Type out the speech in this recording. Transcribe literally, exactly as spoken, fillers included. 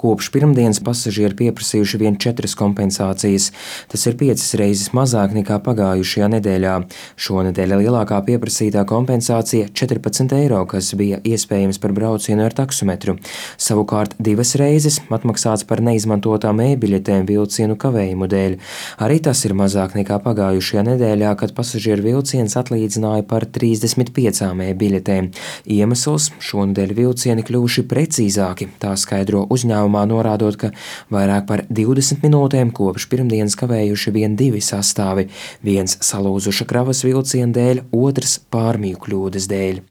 Kopš pirmdienas pasažieri pieprasījuši vien četras kompensācijas. Tas ir piecas reizes mazāk nekā pagājušajā nedēļā. Šonedēļ lielākā pieprasītā kompensācija - četrpadsmit eiro, kas bija iespējams par braucienu ar taksometru. Savukārt divas reizes atmaksāts par neizmantotām e-biļetēm vilcienu kavējumu dēļ. Arī tas ir mazāk nekā pagājušajā nedēļā, kad pasažieru vilciens atlīdzināja par trīsdesmit piecām e-biļetēm. Iemesls - šonedēļ vilcieni kļuvuši precīzāki, tā skaidro uzņēmuma, norādot, ka vairāk par divdesmit minūtēm kopš pirmdienas kavējuši vien divi sastāvi, viens salūzuša kravas vilciena dēļ, otrs pārmiju kļūdas dēļ.